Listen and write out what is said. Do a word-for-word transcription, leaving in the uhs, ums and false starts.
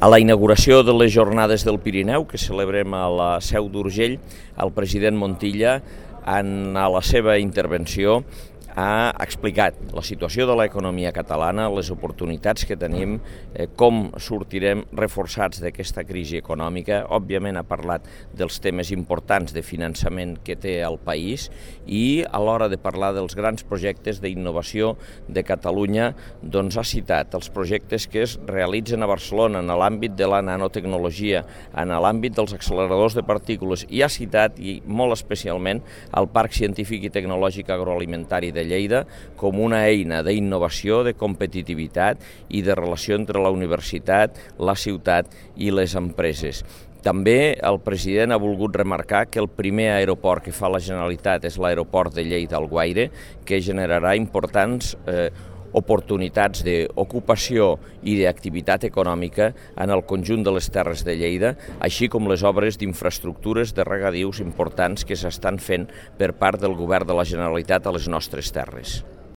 A la inauguració de les Jornades del Pirineu, que celebrem a la Seu d'Urgell, el president Montilla, en a la seva intervenció, ha explicat la situació de l'economia catalana, les oportunitats que tenim, eh, com sortirem reforçats d'aquesta crisi econòmica. Òbviament ha parlat dels temes importants de finançament que té el país i a l'hora de parlar dels grans projectes d'innovació de Catalunya, doncs ha citat els projectes que es realitzen a Barcelona en l'àmbit de la nanotecnologia, en l'àmbit dels acceleradors de partícules, i ha citat, i molt especialment, el Parc Científic i Tecnològic Agroalimentari de Lleida com una eina d'innovació, de competitivitat i de relació entre la universitat, la ciutat i les empreses. També el president ha volgut remarcar que el primer aeroport que fa la Generalitat és l'aeroport de Lleida-Alguaire, que generarà importants eh, oportunitats d'ocupació i d'activitat econòmica en el conjunt de les terres de Lleida, així com les obres d'infraestructures de regadius importants que s'estan fent per part del Govern de la Generalitat a les nostres terres.